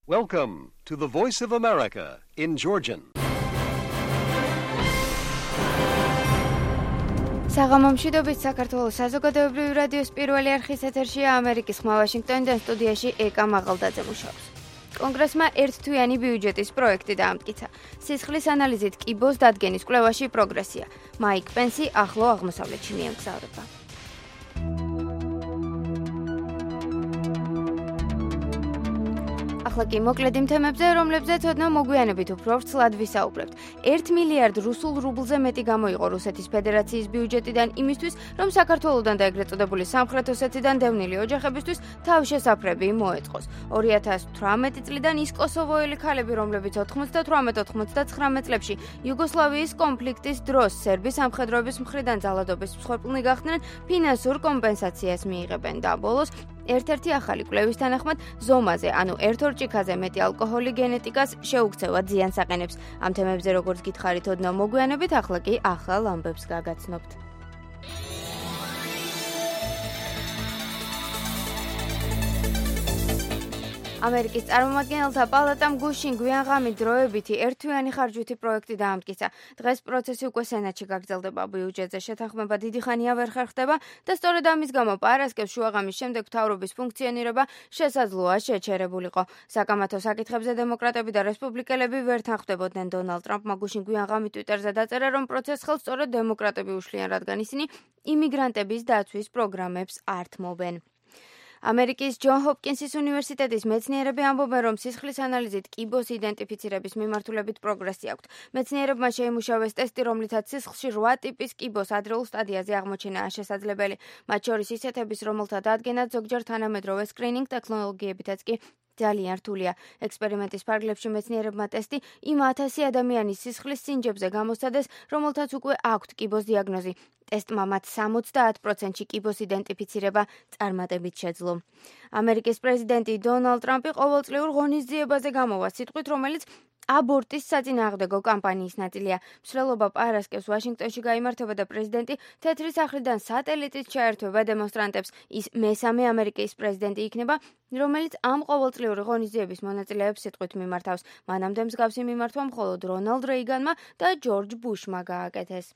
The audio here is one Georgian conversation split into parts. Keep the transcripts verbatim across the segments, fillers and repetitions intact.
Welcome to the Voice of America in Georgian. საღამომშვიდობით საქართველოს საზოგადოებრივი რადიოს პირველი არხის ეთერშია ამერიკის ხმა ვაშინგტონიდან სტუდიაში ეკა მაღალდაძე მუშაობს. კონგრესმა ერთთვიანი ბიუჯეტის პროექტი დაამტკიცა. სისხლის ანალიზით კიბოს დადგენის კვლევაში პროგრესია. მაიკ პენსი ახლო აღმოსავლეთში მიემგზავრება. ახლა კი მოკლედ იმ თემებზე, რომლებზეც ოდნავ მოგვიანებით უფრო ვრცლად ვისაუბრებთ. ერთ მილიარდ რუსულ რუბლზე მეტი გამოიყო რუსეთის ფედერაციის ბიუჯეტიდან იმისთვის, რომ საქართველოდან და ეგრეთ წოდებული სამხრეთ ოსეთიდან დევნილი ოჯახებისთვის თავშესაფრები მოეწყოს. ორი ათას თვრამეტი წლიდან ის კოსოვოელი ქალები, რომლებიც ოთხმოცდათვრამეტ ოთხმოცდათხრამეტ წლებში იუგოსლავიის კონფლიქტის დროს სერბის სამხედროების მხრიდან ძალადობის მსხვერპლნი გახდნენ, ფინანსურ კომპენსაციას მიიღებენ და ბოლოს ერთ-ერთი ახალი კვლევის თანახმად ზომაზე, ანუ ერთ ორ ჭიქაზე მეტი ალკოჰოლი გენეტიკას შეუქცევად ზიანს აყენებს. ამ თემებზე როგორც გითხარით ოდნავ მოგვიანებით, ახლა კი ახალ ამბებს გაგაცნობთ. ამერიკის წარმომადგენელთა პალატამ გუშინ გვიანღამით დროებითი ერთთვიანი ხარჯვითი პროექტი დაამტკიცა. დღეს პროცესი უკვე სენატში გაგრძელდება. ბიუჯეტზე შეთანხმება დიდი ხანია ვერ ხერხდება და სწორედ ამის გამო პარასკევს შუაღამის შემდეგ მთავრობის ფუნქციონირება შესაძლოა შეჩერებულიყო. საკამათო საკითხებზე დემოკრატები და რესპუბლიკელები ვერ თანხმდებოდნენ. დონალდ ტრამპმა გუშინ გვიანღამით ტვიტერზე დაწერა, რომ პროცესს ხელს სწორედ დემოკრატები უშლიან, რადგან ისინი იმიგრანტების დაცვის პროგრამებს ართმობენ. ამერიკის ჯონ ჰოპკინსის უნივერსიტეტის მეცნიერები ამბობენ, რომ სისხლის ანალიზით კიბოს იდენტიფიცირების მიმართულებით პროგრესი აქვთ. მეცნიერებმა შეიმუშავეს ტესტი, რომლითაც სისხლში რვა ტიპის კიბოს ადრეულ სტადიაზე აღმოჩენაა შესაძლებელი. მათ შორის ისეთების, რომელთა დადგენაც ზოგჯერ თანამედროვე სკრინინგ ტექნოლოგიებითაც კი ძალიან რთულია. ექსპერიმენტის ფარგლებში მეცნიერებმა ტესტი იმ ათასი ადამიანის სისხლის სინჯებზე გამოსცადეს, რომელთაც უკვე აქვთ კიბოს დიაგნოზი. ტესტმა მათ სამოცდაათ პროცენტში კიბოს იდენტიფიცირება წარმატებით შეძლო. ამერიკის პრეზიდენტი დონალდ ტრამპი ყოველწლიურ ღონისძიებაზე გამოვა სიტყვით, რომელიც აბორტის საწინააღმდეგო კამპანიის ნაწილია. მსვლელობა პარასკევს ვაშინგტონში გაიმართება და პრეზიდენტი თეთრი სახლიდან სატელიტით ჩაერთვება დემონსტრანტებს. ის მესამე ამერიკის პრეზიდენტი იქნება, რომელიც ამ ყოველწლიური ღონისძიების მონაწილეებს სიტყვით მიმართავს. მანამდე მსგავსი მიმართვა მხოლოდ რონალდ რეიგანმა და ჯორჯ ბუშმა გააკეთეს.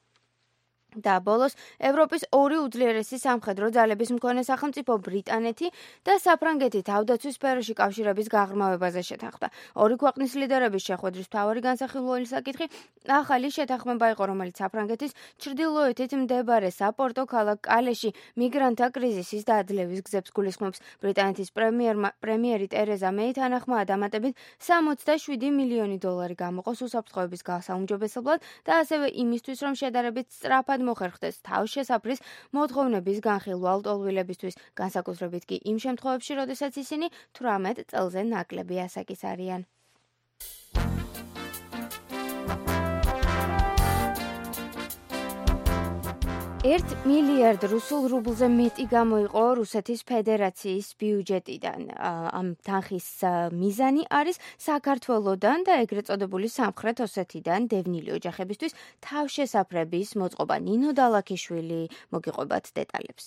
და ბოლოს ევროპის ორი უძლიერესი სამხედრო ძალების მქონე სახელმწიფო ბრიტანეთი და საფრანგეთი თავდაცვის სფეროში კავშირების გაღრმავებაზე შეთანხმდა. ორი ქვეყნის ლიდერების შეხვედრის მთავარი განსახილველი საკითხი ახალი შეთანხმება იყო, რომელიც საფრანგეთის ჩრდილოეთით მდებარე საპორტო ქალაქ კალეში მიგრანტთა კრიზისის დაძლევის გზებს გულისხმობს. ბრიტანეთის პრემიერი ტერეზა მეი თანახმაა დამატებით სამოცდაშვიდი მილიონი დოლარი გამოყოს უსაფრთხოების გასაუმჯობესებლად და ასევე იმისთვის, რომ შედარებით სწრაფად მოხერხდეს თავშესაფრის მოთხოვნების განხილვა ლტოლვილებისთვის, განსაკუთრებით კი იმ შემთხვევებში, როდესაც ისინი თვრამეტ წელზე ნაკლები ასაკის არიან. ერთ მილიარდ რუსულ რუბლზე მეტი გამოიყო რუსეთის ფედერაციის ბიუჯეტიდან. ამ თანხის მიზანი არის საქართველოდან და ეგრეთ წოდებული სამხრეთ ოსეთიდან დევნილი ოჯახებისთვის თავშესაფრების მოწყობა. ნინო დალაქიშვილი მოგიყვებათ დეტალებს.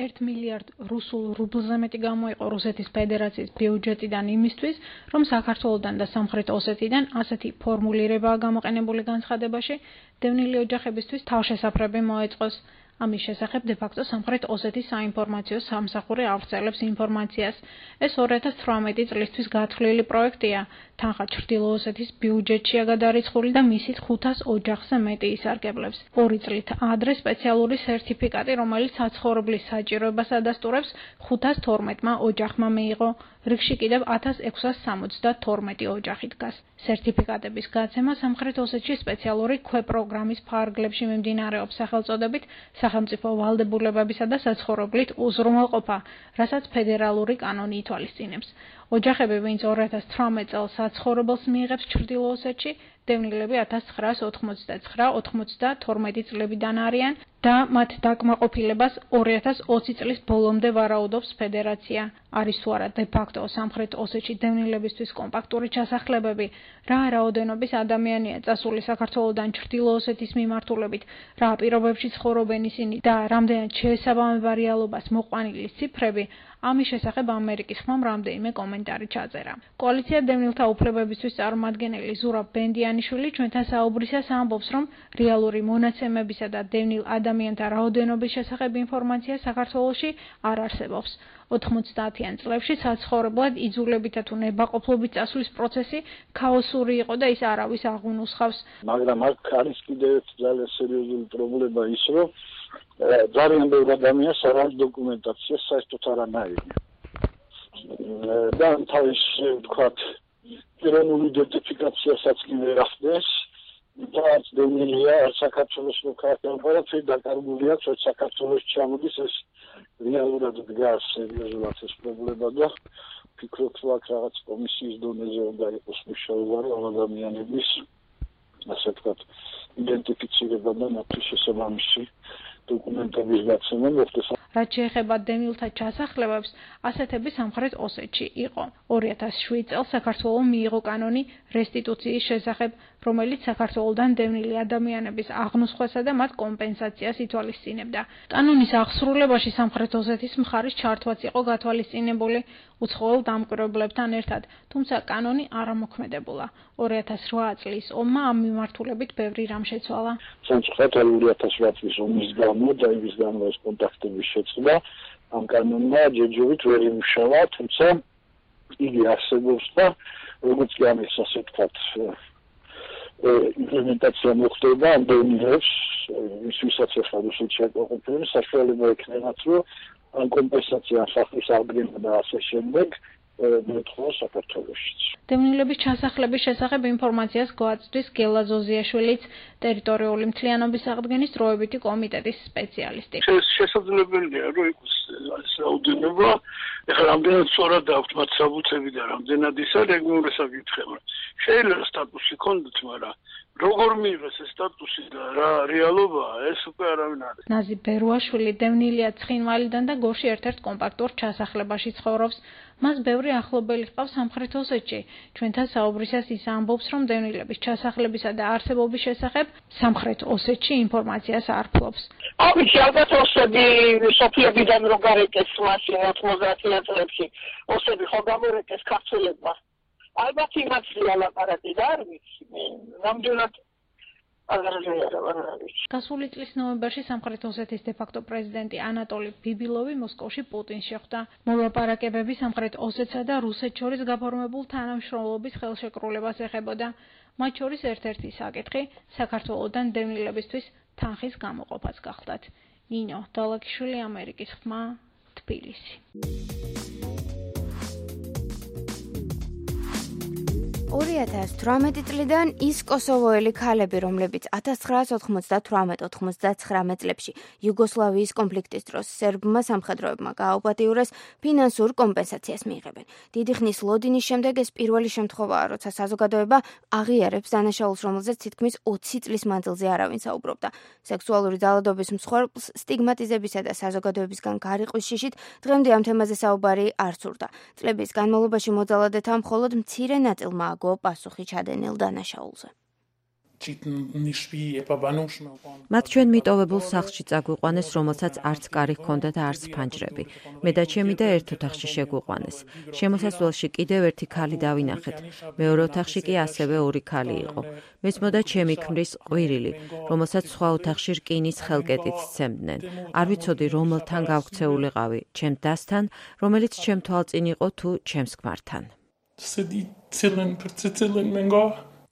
ერთ მილიარდ რუსულ რუბლზე მეტი გამოიყო რუსეთის ფედერაციის ბიუჯეტიდან იმისთვის, რომ საქართველოდან და სამხრეთ ოსეთიდან ასეთი ფორმულირებაა გამოყენებული განცხადებაში, დევნილი ოჯახებისთვის თავშესაფრები მოეწყოს. ამის შესახებ დე-ფაქტო სამხრეთ ოსეთის საინფორმაციო სამსახური ავრცელებს ინფორმაციას. ეს ორი ათას თვრამეტი წლისთვის გათვლილი პროექტია. თანხა ჩრდილო ოსეთის ბიუჯეტშია გადარიცხული და მისით ხუთას ოჯახზე მეტი ისარგებლებს. ორი წლით ადრე სპეციალური სერტიფიკატი, რომელიც საცხოვრებლის საჭიროებას ადასტურებს, ხუთას თორმეტმა ოჯახმა მიიღო. რიგში კიდევ ათას ექვსას სამოცდათორმეტი ოჯახი დგას. სერტიფიკატების გაცემა სამხრეთ ოსეთში სპეციალური ქვეპროგრამის ფარგლებში მიმდინარეობს სახელწოდებით სახელმწიფო ვალდებულებებისა და საცხოვრებლით უზრუნველყოფა, რასაც ფედერალური კანონი ითვალისწინებს. ოჯახები, ვინც ორი ათას თვრამეტ წელს საცხოვრებელს მიიღებს ჩრდილო ოსეთში, დევნილები ათას ცხრაას ოთხმოცდაცხრა ოთხმოცდათორმეტი წლებიდან არიან და მათ დაკმაყოფილებას ორი ათას ოცი წლის ბოლომდე ვარაუდობს ფედერაცია. არის თუ არა დე-ფაქტო სამხრეთ ოსეთში დევნილებისთვის კომპაქტური ჩასახლებები, რა რაოდენობის ადამიანია წასული საქართველოდან ჩრდილო ოსეთის მიმართულებით, რა პირობებში ცხოვრობენ ისინი და რამდენად შეესაბამება რეალობას მოყვანილი ციფრები, ამის შესახებ ამერიკის ხმამ რამდენიმე კომენტარი ჩაწერა. კოალიცია დევნილთა უფლებებისთვის წარმომადგენელი ზურაბ ბენდიანიშვილი ჩვენთან საუბრისას ამბობს, რომ რეალური მონაცემებისა და დევნილ ადამიანთა რაოდენობის შესახებ ინფორმაცია საქართველოში არ არსებობს. ოთხმოცდაათიან წლებში საცხოვრებლად იძულებითა თუ ნებაყოფლობით წასვლის პროცესი ქაოსური იყო და ის არავის აღუნუსხავს. მაგრამ აქ არის კიდევ ძალიან სერიოზული პრობლემა ის, რომ ძალიან ბევრი ადამიანს არ აქვს დოკუმენტაცია საერთოდ არანაირი. და თავის ვთქვათ, პიროვნული იდენტიფიკაციასაც კი ვერ ახდენს. და დევნილია საქართველოს მოქალაქეობა დაკარგულია, თუ საქართველოს ჩამოდის ეს რეალურად დგას სერიოზულად ეს პრობლემა და ფიქრობ, რომ აქ რაღაც კომისიის დონეზე უნდა იყოს მუშაობა, რომ ადამიანების ასე ვთქვათ, იდენტიფიცირება და მათთვის შესაბამისი დოკუმენტების გაცემა მოხდეს. რაც შეეხება დევნილთა ჩასახლებებს, ასეთები სამხრეთ ოსეთში იყო. ორი ათას შვიდ წელს საქართველომ მიიღო კანონი რესტიტუციის შესახებ, რომელიც საქართველოდან დევნილი ადამიანების აღნუსხვასა და მათ კომპენსაციას ითვალისწინებდა. კანონის აღსრულებაში სამხრეთ ოსეთის მხარის ჩართვაც იყო გათვალისწინებული უცხოელ დამკვირვებლებთან ერთად, თუმცა კანონი არ ამოქმედებულა. ორი ათას რვა წლის ომმა ამ მიმართულებით ბევრი რამ შეცვალა. სამწუხაროდ ორი ათას რვა წლის ომის გამო და იმის გამო ეს კონტაქტების შეცვლა ამ კანონმა ჯერჯერობით ვერ იმუშავა, თუმცა იგი არსებობს და როგორც კი ამის ასე ვთქვათ იმპლემენტაცია მოხდება ამ დევნილებს, ვისაც ახლა რუსეთში აკმაყოფილებს, საშუალება ექნებათ, რომ ამ კომპენსაცია სახლის აღდგენა და ასე შემდეგ მოთხოვა საქართველოშიც. დევნილების ჩასახლების შესახებ ინფორმაციას გვაწვდის გელა ზოზიაშვილიც, ტერიტორიული მთლიანობის აღდგენის დროებითი კომიტეტის სპეციალისტი. შესაძლებელია, რომ იყოს ეს რაოდენობა, ეხლა რამდენად სწორად აქვს მათ საბუთები და რამდენად ისა რეგულარულად საკითხება. შეიძლება სტატუსი ქონდეთ, მაგრამ როგორ მიიღეს ეს სტატუსი და რა რეალობაა, ეს უკვე არავინ არ არის. ნაზი ბერუაშვილი დევნილია ცხინვალიდან და გორში ერთ-ერთ კომპაქტურ ჩასახლებაში ცხოვრობს. მას ბევრი ახლობელი ჰყავს სამხრეთ ოსეთში. ჩვენთან საუბრისას ის ამბობს, რომ დევნილების ჩასახლებისა და არსებობის შესახებ სამხრეთ ოსეთში ინფორმაციას არ ფლობს. ამით ალბათ ოსები სოფიებიდან რო გარეკეს მასი ოთხმოცდაათიან წლებში, ოსები ხო გამორეკეს ქართველებმა. ალბათ იმაც ლაპარაკი და არ ვიცი, რამდენად გასული წლის ნოემბერში სამხრეთ ოსეთის დე-ფაქტო პრეზიდენტი ანატოლი ბიბილოვი მოსკოვში პუტინს შეხვდა. მოლაპარაკებები სამხრეთ ოსეთსა და რუსეთს შორის გაფორმებულ თანამშრომლობის ხელშეკრულებას ეხებოდა. მათ შორის ერთ-ერთი საკითხი საქართველოდან დევნილებისთვის თანხის გამოყოფაც გახლდათ. ნინო დალაკიშვილი, ამერიკის ხმა, თბილისი. ორი ათას თვრამეტი წლიდან ის კოსოვოელი ქალები, რომლებიც ათას ცხრაას ოთხმოცდათვრამეტ ოთხმოცდაცხრამეტ წლებში იუგოსლავიის კონფლიქტის დროს სერბმა სამხედროებმა გააუპატიურეს, ფინანსურ კომპენსაციას მიიღებენ. დიდი ხნის ლოდინის შემდეგ ეს პირველი შემთხვევაა, როცა საზოგადოება აღიარებს დანაშაულს, რომელზეც თითქმის ოცი წლის მანძილზე არავინ საუბრობდა. სექსუალური ძალადობის მსხვერპლს სტიგმატიზებისა და საზოგადოებისგან გარიყვის შიშით დღემდე ამ თემაზე საუბარი არ სურდა. წლების განმავლობაში მოძალადეთა მხოლოდ მცირე ნაწილმა პასუხი ჩადენილ დანაშაულზე. მათ ჩვენ მიტოვებულ სახლში წაგვიყვანეს, რომელსაც არც კარი ჰქონდა და არც ფანჯრები. მე და ჩემი და ერთ ოთახში შეგვიყვანეს. შემოსასვლელში კიდევ ერთი ქალი დავინახეთ. მეორე ოთახში კი ასევე ორი ქალი იყო. მეცმოდა ჩემი ქმრის ყვირილი, რომელსაც სხვა ოთახში რკინის ხელკეტით სცემდნენ. არ ვიცოდი, რომელთან გავქცეულიყავი, ჩემ დასთან, რომელიც ჩემ თვალწინ იყო თუ ჩემს ქმართან.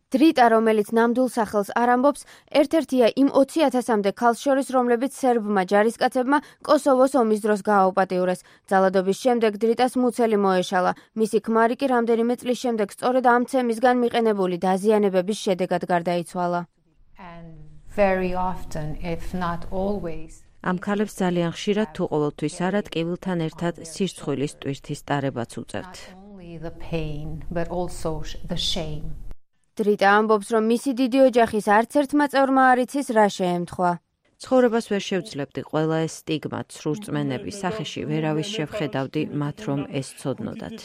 დრიტა, რომელიც ნამდვილ სახელს არ ამბობს, ერთ-ერთია იმ ოცი ათასამდე ქალს შორის, რომლებიც სერბმა ჯარისკაცებმა კოსოვოს ომის დროს გააუპატიურეს. ძალადობის შემდეგ დრიტას მუცელი მოეშალა. მისი ქმარი კი რამდენიმე წლის შემდეგ სწორედ ამ ცემისგან მიყენებული დაზიანებების შედეგად გარდაიცვალა. ამ ქალებს ძალიან ხშირად თუ ყოველთვის არა ტკივილთან ერთად სირცხვილის ტვირთის ტარებაც უწევთ. დრიტა ამბობს, რომ მისი დიდი ოჯახის არც ერთმა წევრმა არ იცის რა შეემთხვა. ცხოვრებას ვერ შევძლებდი, ყველა ეს სტიგმა, ცრურწმენები, სახეში ვერავის შევხედავდი მათ, რომ ეს ცოდნოდათ.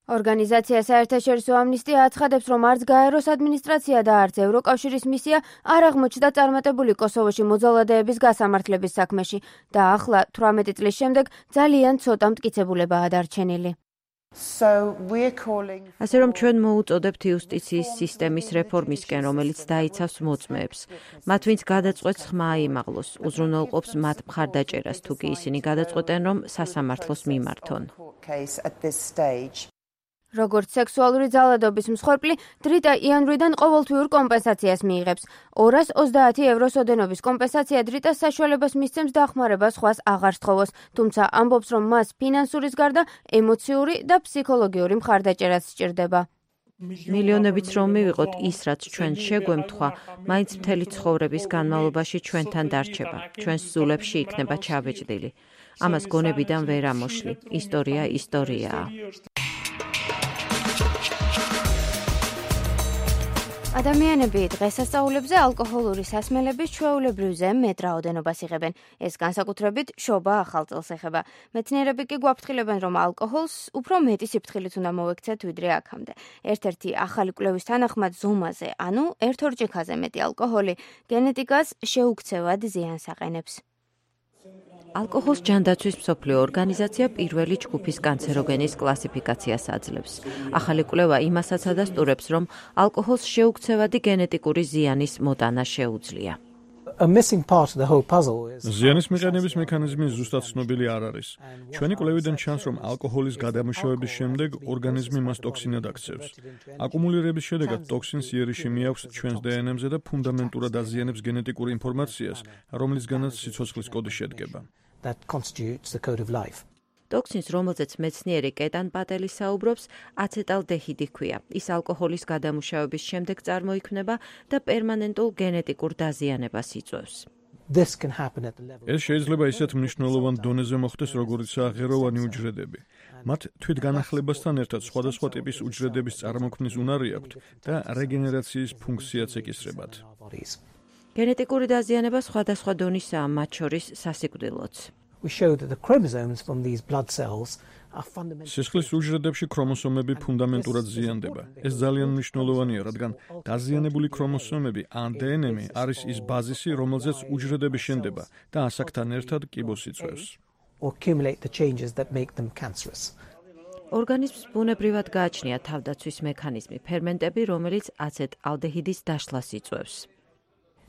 ორგანიზაცია საერთაშორისო ამნისტია აცხადებს, რომ არც გაეროს ადმინისტრაცია და არც ევროკავშირის მისია არ აღმოჩნდა წარმატებული კოსოვოში მოძალადეების გასამართლების საქმეში და ახლა თვრამეტი წლის შემდეგ ძალიან ცოტა მტკიცებულებაა დარჩენილი. ასე რომ ჩვენ მოუწოდებთ იუსტიციის სისტემის რეფორმისკენ, რომელიც დაიცავს მოწმეებს. მათ, ვინც გადაწყვეტს, ხმა აიმაღლოს, უზრუნველყოფს მათ მხარდაჭერას, თუ კი ისინი გადაწყვეტენ, რომ სასამართლოს მიმართონ. როგორც სექსუალური ძალადობის მსხვერპლი, დრიტა იანვრიდან ყოველთვიურ კომპენსაციას მიიღებს. ორას ოცდაათი ევროს ოდენობის კომპენსაცია დრიტას საშუალებას მისცემს დახმარებას სხვას აღარ სთხოვოს, თუმცა ამბობს, რომ მას ფინანსურის გარდა ემოციური და ფსიქოლოგიური მხარდაჭერაც სჭირდება. მილიონებიც რომ მივიღოთ ის, რაც ჩვენ შეგვემთხვა, მაინც მთელი ცხოვრების განმავლობაში ჩვენთან დარჩება. ჩვენს ზულებში იქნება ჩაბეჭდილი. ამას გონებიდან ვერ ამოშლი. ისტორია ისტორიაა. ადამიანები დღესასწაულებზე ალკოჰოლური სასმელების ჩვეულებრივზე მეტ რაოდენობას იღებენ. ეს განსაკუთრებით შობა ახალ წელს ეხება. მეცნიერები კი გვაფრთხილებენ, რომ ალკოჰოლს უფრო მეტი სიფრთხილით უნდა მოვექცეთ ვიდრე აქამდე. ერთ-ერთი ახალი კვლევის თანახმად ზომაზე, ანუ ერთ ორჭიქაზე მეტი ალკოჰოლი გენეტიკას შეუქცევად ზიანს აყენებს. ალკოჰოლს ჯანდაცვის მსოფლიო ორგანიზაცია პირველი ჯგუფის კანცეროგენის კლასიფიკაციას აძლევს. ახალი კვლევა იმასაც ადასტურებს, რომ ალკოჰოლს შეუქცევადი გენეტიკური ზიანის მოტანა შეუძლია. ზიანის მიყენების მექანიზმი ზუსტად ცნობილი არ არის. ჩვენი კვლევიდან ჩანს, რომ ალკოჰოლის გადამუშავების შემდეგ ორგანიზმი მას ტოქსინად აქცევს. აკუმულირების შედეგად ტოქსინს იერიში მიაქვს ჩვენს დე ენ ემ-ზე და ფუნდამენტურად აზიანებს გენეტიკურ ინფორმაციას, რომლისგანაც სიცოცხლის კოდი შედგება. ტოქსინს, რომელზეც მეცნიერი კეტან პატელი საუბრობს, აცეტალდეჰიდი ჰქვია. ის ალკოჰოლის გადამუშავების შემდეგ წარმოიქმნება და პერმანენტულ გენეტიკურ დაზიანებას იწვევს. ეს შეიძლება ისეთ მნიშვნელოვან დონეზე მოხდეს, როგორიცაა ღეროვანი უჯრედები. მათ თვითგანახლებასთან ერთად სხვადასხვა ტიპის უჯრედების წარმოქმნის უნარი აქვთ და რეგენერაციის ფუნქციაც ეკისრებათ. გენეტიკური დაზიანება სხვადასხვა დონისაა, მათ შორის სასიკვდილოც. სისხლის უჯრედებში ქრომოსომები ფუნდამენტურად ზიანდება. ეს ძალიან მნიშვნელოვანია, რადგან დაზიანებული ქრომოსომები ან დე ენ ემ არის ის ბაზისი, რომელზეც უჯრედები შენდება და ასაკთან ერთად კიბოს იწვევს. ორგანიზმს ბუნებრივად გააჩნია თავდაცვის მექანიზმი, ფერმენტები, რომელიც აცეტალდეჰიდის დაშლას იწვევს.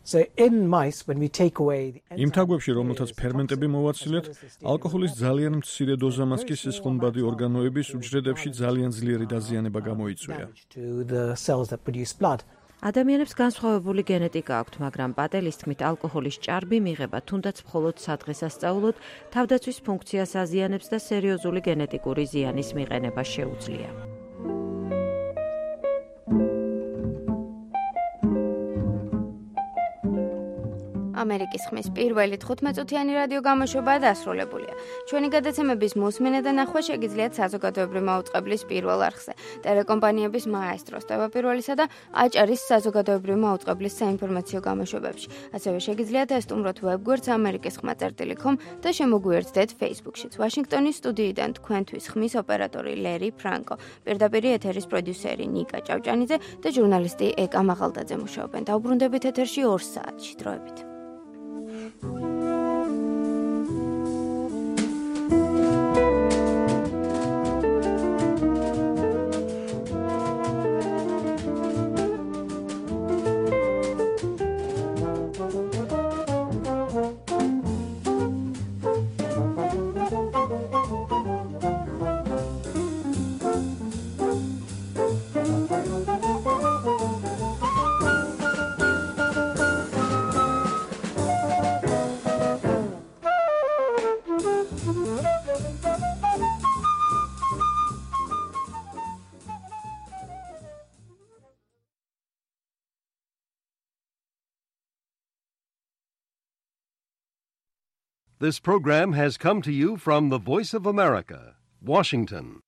იმ თაგვებში, რომელთაც ფერმენტები მოვაცილეთ, ალკოჰოლის ძალიან მცირე დოზამაც კი სისხლმბადი ორგანოების უჯრედებში ძალიან ძლიერი დაზიანება გამოიწვია. ადამიანებს განსხვავებული გენეტიკა აქვთ, მაგრამ პატელის თქმით, ალკოჰოლის ჭარბი მიღება თუნდაც მხოლოდ სადღესასწაულოდ თავდაცვის ფუნქციას აზიანებს და სერიოზული გენეტიკური ზიანის მიყენება შეუძლია. ამერიკის ხმის პირველი თხუთმეტწუთიანი რადიო გამოშვება დასრულებულია. ჩვენი გადაცემების მოსმენა და ნახვა შეგიძლიათ საზოგადოებრივი მაუწყებლის პირველ არხზე, ტელეკომპანიების მაესტროს, ტევაპირველისა და აჭარის საზოგადოებრივი მაუწყებლის საინფორმაციო გამოშვებებში. ასევე შეგიძლიათ ესტუმროთ ვებგვერდს ამერიკის ხმა წერტილი კომ და შემოგვიერთდეთ Facebook-შიც. ვაშინგტონის სტუდიიდან თქვენთვის ხმის ოპერატორი ლერი ფრანკო, პირდაპირ ეთერის პროდიუსერი ნიკა ჭავჭანიძე და ჟურნალისტი ეკა მაღალდაძე მუშაობენ. დაუბრუნდებით ეთერში ორ საათში. დროებით. This program has come to you from the Voice of America, Washington.